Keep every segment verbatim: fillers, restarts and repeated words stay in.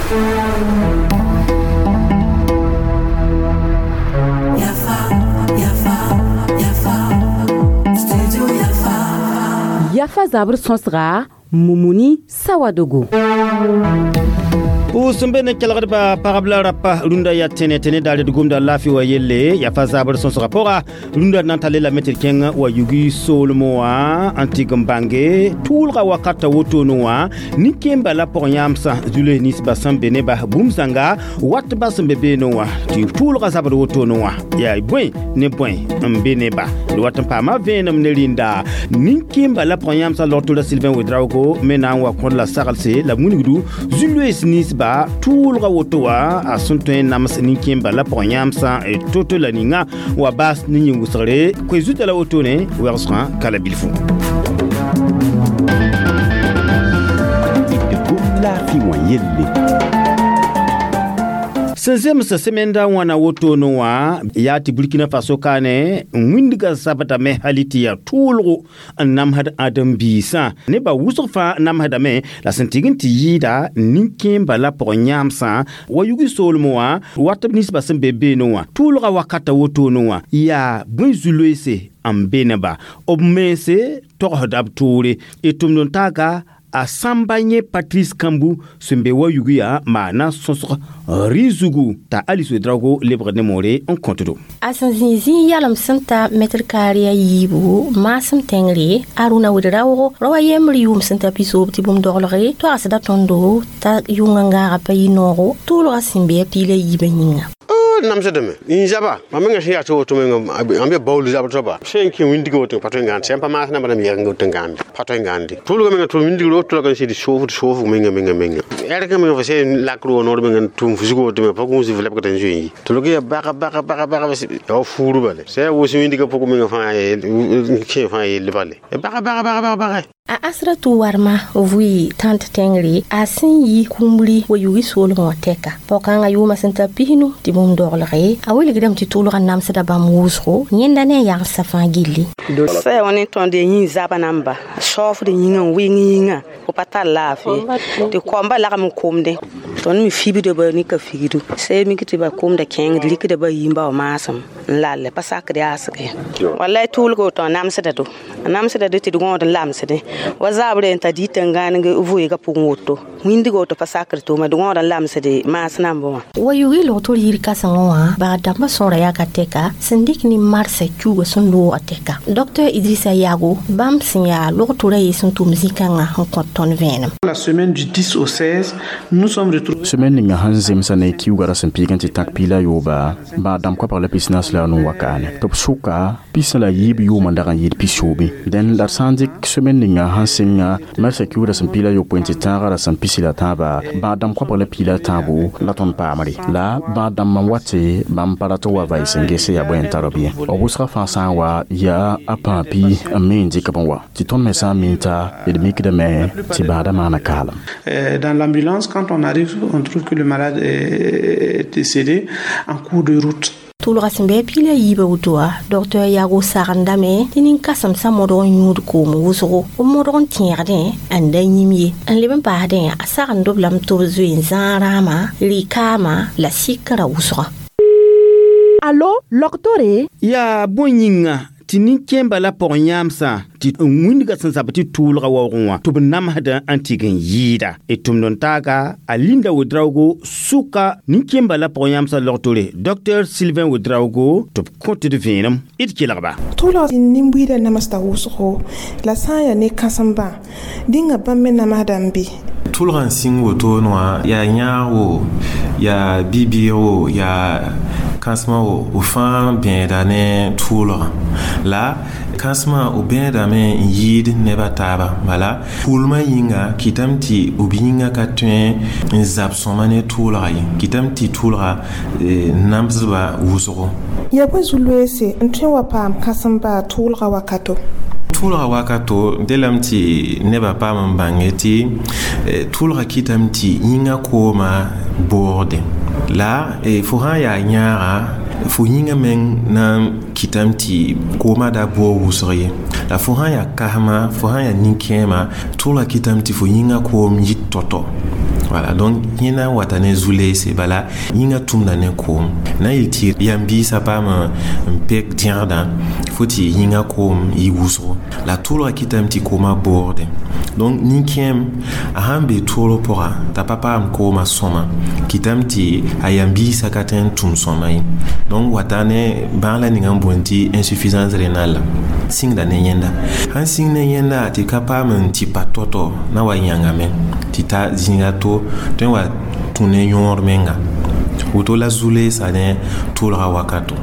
Yafa, Yafa, Yafa, Studio Yafa. Yafa zabr sõsga Mumuni Sawadogo. Sẽn be ne kelgdba pagb la rapa rũndã yaa tẽne tẽne daare d gomda laafɩ wa yelle yafa zabr sõsgã pʋga rũndã na n tale lame tɩ d kẽng wa yugi soolmẽ wã n tɩg n bãnge tʋʋlga wakata wotone wã nin-kẽemba la pʋg-yãamsã zu-loees ninsbã sẽn be neba bũmb zãnga wat ba sẽn be beene wã tɩ tʋʋlga zabr wotone wã yaa bõe ne bõe n be neba d wat n paama vẽenem ne rĩnda nin-kẽemba la pʋg-yãamsã logtora Sylvain Ouedraogo me na n wa kõd la saglse la wilgdu zu-loees ninsba tʋʋlga woto wã a sẽn tõe n nams nin-kẽemba la pʋg-yãamsã to-to la ninga wa baas ne yĩn-wʋsgre koe zuta la wotone wɛgsgã ka la bilfu. Sẽn zems sẽmenda wãna wotone wã yaa tɩ Burkina Faso kaane n wĩndga zabdame hali tɩ yaa tʋʋlgo n namsd ãdem-biisã nebã wʋsg fãa namsdame la sẽn tɩg n tɩ yɩɩda nin-kẽemba la pʋg-yãamsã wa yugi soolmẽ wã wat b ninsbã sẽn be beene wã tʋʋlga wakata wotone wã yaa bõe zu-loeese n be neba b mense togsda b toore y tʋmd n taaga a sãmba yẽ Patrice Kambu sẽn be wa yugi yaa maana sõsg rɩ zugu t'a Alice Ouedraogo lebgd ne moore n kõtdo. A sẽn zĩ zĩig yalem sẽn ta mɛtr kaare a yiibu maasem tẽngre Aruna Ouedraogo rao a yembr yʋʋm sẽn ta pisoob tɩ bũmb doglge toagsda tõndo t'a yʋngã ngaaga pa yɩ noogo tʋʋlgã sẽn be a piila yiibã yĩnga. Namsdame n zaba mam menga sẽn yaa tɩ woto menga n be baool zabr soaba sẽn kẽ wĩndg woto pa tõe n gãnd sẽn pa maas namba dãmb yɛgeng woto n gãnde pa tõe n gãnde tʋʋlga menga tʋ wĩndgr woto la n sɩd soofd soofg menga menga menga ɛrg menga fo sẽn lakr wa noor menga tʋm fusg woto menga pa gũus f lebgd n zoe n yi tʋlg yaa baga baga baga baga yaa fuur bale sã yaa wʋs wĩndgã pʋg menga fãa kẽ fãa yell bale baga baga baga baga baga. A Asratu Warma vʋɩ tãnt tẽngre a sẽn yi kũmbri wa yugi soolmẽ wã tɛka pao-kãngã yʋʋmã sẽn ta pisnu tɩ bũmb doglge a wilgdame tɩ tʋʋlgã namsda bãmb wʋsgo yẽnda ne a yagsã fãa gilli. Sã wa ne tõnd yĩn zaba namba saoofd yĩngã n wɩng yĩngã fo pa tar laafɩ tɩ koambã lagm n komdẽ tõnd me fibda ba ne ka figdu sã mik tɩ ba komda kẽngd rikda ba yĩmba wa maasem n lalle pa sakd yaasge wallay tʋʋlga woto a namsda do a namsda do tɩ d gõod n lamsdẽ wa zabre n ta dɩ tẽn-gãaneg vʋɩɩgã pʋgẽ woto wĩndg woto pa sakr tʋʋma d gõod n lamsd maas nambã wã. Wa yugi logtor yir kãsengẽ wã bag dãmbã sõora yaa ka tɛka sẽn dɩk ne marsã kiuugã sẽn loogã tɛka Docteur Idrissa Yago bãmb sẽn yaa logtora ye sẽn tʋm zĩ-kãngã n kõt tõnd vẽenem. La semaine du dix au seize, nous sommes retrouvés. Semaine ninga sẽn zemsa ne kiuugã ra sẽn piig n tɩ tãk piila yooba baa dãmb koabg la pis-naas la a nu wakaane tɩ b sʋka pis la yiib yʋʋmã dag n yɩɩd pisoobe dẽn la d sã n dɩk semaine ninga sẽn sɩnga marsã kiuudã sẽn piila yopoe n tɩ tãagã ra sẽn pisi la tãaba baa dãmb koabg la piila tãabo la tõnd paamre la baa dãmb n wa tɩ bãmb pa rat n wa vaɩs sẽn gese yaa bõe n tar b ye b wʋsgã fãa sã n wa yaa a pãa pi n me n dɩk b n wa tɩ tõnd me sã n mi t'a d mikdame tɩ bãadã maana kaalem. Dans l'ambulance, quand on arrive, on trouve que le malade est décédé en cours de route. Tʋʋlga sẽn bɩ a piila yiibã woto wã docteur Yago sagendame tɩ nin-kãsemsã modg n yũud koom wʋsgo b modg n tẽegdẽ n da yĩm ye n leb n paasdẽ a sagend-b lame tɩ b zoe n zãag rãama rɩ-kaama la sɩkrã wʋsgã. Alo, logtore? Yaa bõe yĩnga tɩ nin-kẽemba la pʋg-yãamsã tɩ n wĩndgã sẽn zab tɩ tʋʋlga waoogẽ wã tɩ b namsdã n tɩg n yɩɩda y tʋmd n taaga a Linda Ouedraogo sʋka nin-kẽemba la pʋg-yãamsã logtore Docteur Sylvain Ouedraogo tɩ b kõt d vẽenem d kelgba. Tʋʋlg nin-buiidã namsda wʋsgo la sã n yaa ne kãsembã dĩnga bãmb me namsda n be. Tʋʋlgã n sĩng wotone wã yaa yãag wo yaa bi-bɩɩg wo yaa kãsmã wo b fãa bẽeda ne tʋʋlgã la kãsmã b bẽedame n yɩɩd neb a taaba bala pʋʋlmã yĩnga kɩtame tɩ b yĩngã ka tõe n zab sõma ne tʋʋlga ye kɩtame tɩ tʋʋlga namsdba wʋsgo. Yaa bõe zu-loeese n tõe n wa paam kãsem-baa tʋʋlga wakato? Tʋʋlga wakato delame tɩ nebã paam n bãnge tɩ tʋʋlga kɩtame tɩ yĩngã koomã boogde la fo sã n yaa yãaga fo yĩngã meng na n kɩtame tɩ koomã da boog wʋsg ye la fo sã n yaa kasma fo sã n yaa nin-kẽema tʋʋlga kɩtame tɩ fo yĩngã koom yit tɔ-tɔ Voilà, donc yẽ na n wata ne zu-leese bala yĩngã tʋmda ne koom na n yeel tɩ yam biisã paam n pek dẽgdã fo tɩ yĩngã koom yɩ wʋsgo la tʋʋlgã kɩtame tɩ koomã boogde donc nin-kẽem a sãn be toorg pʋga t'a pa paam koomã sõma kɩtame tɩ a yam biisã ka tõe n tʋm sõma ye donc wata ne bãag la ninga n boond tɩ insuffisance rénale sĩngda ne yẽnda sãn sĩng ne yẽnda tɩ ka paam n tɩ pa tɔ-tɔ na wa yãngame tɩ ta zĩiga to tõe n wa tũ ne yõor menga woto la zu-leesa ne tʋʋlga wakato.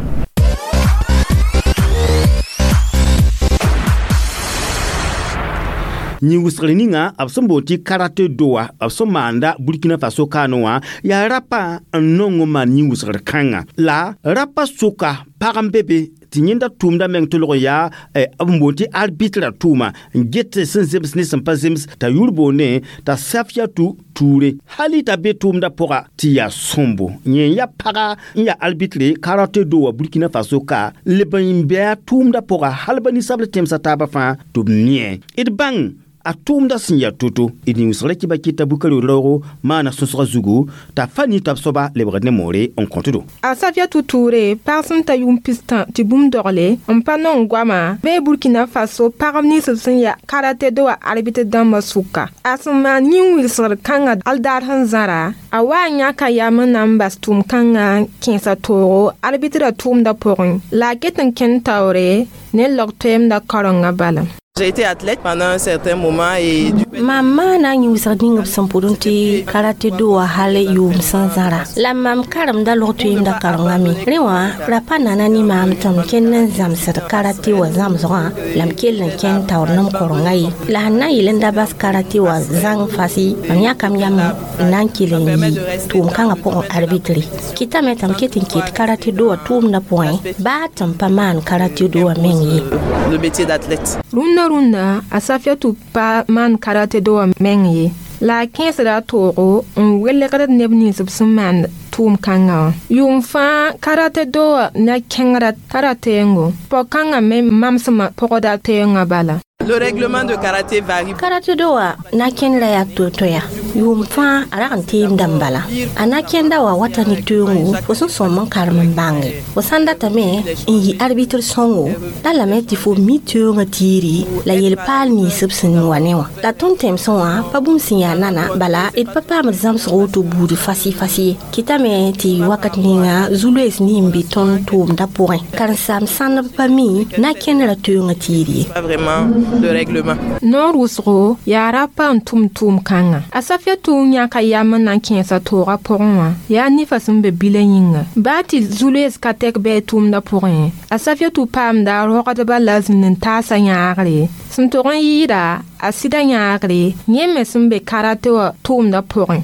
Yĩn-wʋsgr ninga b sẽn boond tɩ karate doa b sẽn maanda Burkina Faso kaanẽ wã yaa rapa n nong n maan yĩn-wʋsgr kãnga la rapa sʋka pag n be be tɩ yẽnda tʋʋmda meng tolg n yaa b boond tɩ arbitrã tʋʋma n get sẽn zems ne sẽn pa zems t'a yʋr boonde t'a Safiatou Touré hali t'a be tʋʋmda pʋga tɩ yaa sõmbo yẽ n yaa paga n yaa arbitre karate do wa Burkina Faso ka leb n bɩ a tʋʋmda pʋga hal ba ninsabl tẽmsã taabã fãa tɩ b mie d bãng a tʋʋmda sẽn yaa to-to d ning-wʋsgrã kɩba kɩta bukari raoogo maana sõsgã zugu t'a fa nin-tab soaba lebgd ne moore n kõt-do. A Safiatou Touré pag sẽn ta yʋʋm pistã tɩ bũmb dogle n pa nong goama bee Burkina Faso pagb nins b sẽn yaa karate do wã arbitre dãmbã sʋka. A sẽn maan yĩn-wilsgr kãngã aldaar sẽn zãra a wa n yãka yam n na n bas tʋʋm kãngã n kẽesa toogo arbitrã tʋʋmdã pʋgẽ la a ket n kẽnd taoore ne log-toɛɛmdã karenga bala. J'ai été athlète pendant un certain moment et du Mam maana yĩn-wʋsg ning b sẽn pʋdẽ tɩ karate do wã hal yʋʋm sẽn zãra la mam karemda log-toeemda karengã me rẽ wã ra pa nana ne maam tɩ m kẽnd n zãmsd karate wã zãmsgã la m kell n kẽnd taoor ne m korenga ye la sẽn na n yeel n da bas karate wã zãng fasi mam yãkam yam n na n kell n yɩ tʋʋm-kãngã pʋgẽ arbitre kɩtame tɩ m ket n ket karate do wã tʋʋmdã pʋgẽ baa tɩ m pa maan karate do wã meng ye. Le métier d'athlète. Rũndã rũndã a Safiatou pa maan karate do wã meng ye la a kẽesda a toogo n welgd neb nins b sẽn maan tʋʋm-kãngã wã yʋʋm fãa karate do wã na kẽngrã tara teengo pɔg-kãngã me mamsmã pɔgda teengã bala. Le règlement de karaté varie. Karate do wã na kẽndra yaa to-toya yʋʋm fãa a rag n teemdã n bala a na kẽnda wa wata ne toeengo fo sẽn sõm n karem n bãnge fo sã n datame n yɩ arbitre sõngo la lame tɩ fo mi toeengã tiiri la yel-paal nins b sẽn wa ne wã la tõnd tẽmsẽ wã pa bũmb sẽn yaa nana bala d pa paamd zãmsg woto buud fasi-fasi ye kɩtame tɩ wakat ninga zu-loees nin be tõnd tʋʋmdã pʋgẽ karen-saam sãndb pa mi na kẽndra toeengã tiir ye. Pas vraiment le règlement. Noor wʋsgo yaa rapa n tʋm tʋʋm-kãngã a Safiatou yãka yam n na n kẽesa toogã pʋgẽ wã yaa nifa sẽn be bilã yĩnga baa tɩ zu-loees ka tɛk bɩ a tʋʋmdã pʋgẽ a Safiatou paamda a rogdbã la zĩnd n taasa yãagre sẽn tog n yɩɩda a sɩda yãagre yẽ me sẽn be karate wã tʋʋmdã pʋgẽ.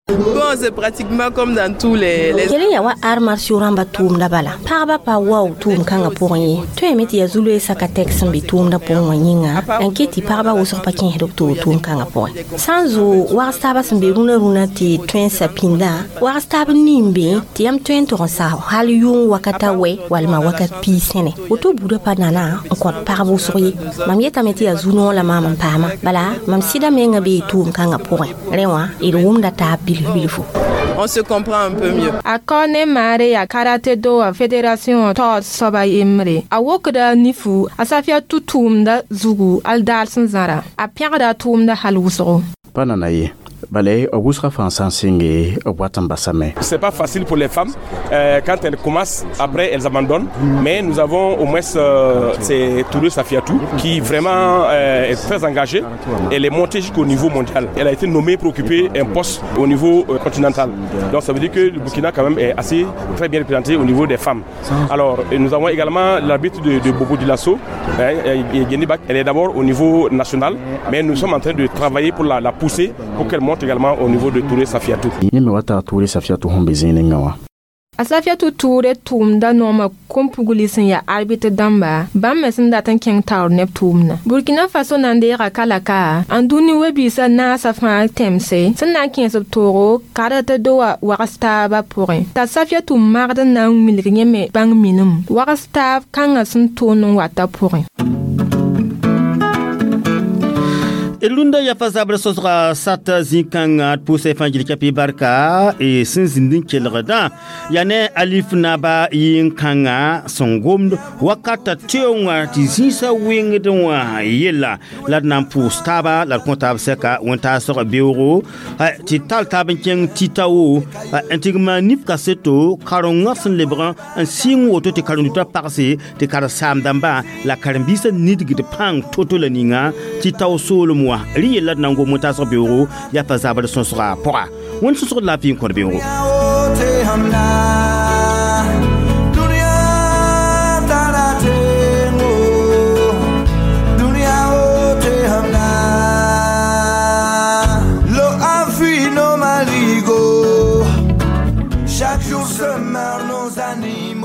Bon, c'est pratiquement comme dans tous les... les... Yel yaa wa arts martiaux rãmba tʋʋmda bala pagba pa wao tʋʋm-kãngã pʋgẽ ye tõeme tɩ yaa zu-loeesã ka tɛk sẽn be tʋʋmdã pʋgẽ wã yĩnga n ket tɩ pagba wʋsg pa kẽesd b toog tʋʋm-kãngã pʋgẽ sã n zoog wags taabã sẽn be rũnã rũnã tɩ tõensa pĩndã wags taab n nin be tɩ yam tõe n tog n sa hal yʋng wakata wɛ walma wakat piig sẽne woto buudã pa nana n kõt pagb wʋsg ye mam yetame tɩ yaa zu-noog la maam n paama bala mam sɩda mengã bee tʋʋm-kãngã pʋgẽ rẽ wã d wʋmda taab bilf bilfo. On se comprend un peu mieux. A Kɔne Mare yaa karate do wã fédération taood soaba yembre a wokda nifu a Safiatou tʋʋmda zugu aldaar sẽn zãra a pẽgda a tʋʋmda hal wʋsgo. Pa nana ye bala b wʋsga fãa sã n sɩnge b wat n basame. C'est pas facile pour les femmes euh, quand elles commencent, après elles abandonnent, mais nous avons au moins euh, c'est Touré Safiatou qui vraiment euh, est très engagée. Elle est montée jusqu'au niveau mondial. Elle a été nommée pour occuper un poste au niveau euh, continental. Donc ça veut dire que le Burkina quand même est assez très bien représenté au niveau des femmes. Alors nous avons également l'arbitre de, de Bobo Dioulasso, hein, elle est d'abord au niveau national, mais nous sommes en train de travailler pour la, la pousser pour qu'elle monte également au niveau de Touré Safiatou. Yẽ me wa taa Touré Safiatou sẽn be zĩig wã. A Safiatou Touré tʋʋmda noomã kom-pugli sẽn yaa arbitre dãmba bãmb me sẽn dat n kẽng taoor neb tʋʋmdã Burkina Faso na n deega kalaka n dũni we-biisã naasã fãa tẽmse sẽn na n kẽes b toogo karate do wã wags taabã pʋgẽ t'a Safiatou magd n na n wilg yẽ me bãng minim wags taab kãngã sẽn tʋʋnd n wata pʋgẽ. Rũndã yafa zabr sõsga sat zĩ-kãngã d pʋʋsa fãa gil kapi barka e sẽn zĩnd n kelgdã yaa ne alif naba yɩn-kãngã sẽn gomd wakata teoongã tɩ zĩisã wẽngd wã yella la d na n pʋʋs taaba la d kõ taab sɛka wẽn-taasg beoogo tɩ tall taab n kẽng tɩ-tao n tɩ maan nif kaseto karengã sẽn lebg n sɩng woto tɩ karen-dutã pagse tɩ karen-saam-dãmbã la karen-biisã nidgd pãng to-to la ninga tɩ tao soolem wã rẽ yella d na n gom wẽn-taasg beoogo yaa pa zabr sõsga pʋga wẽnd sõsgd laafɩ n kõt beoogo. Chaque jour se meurent nos animaux.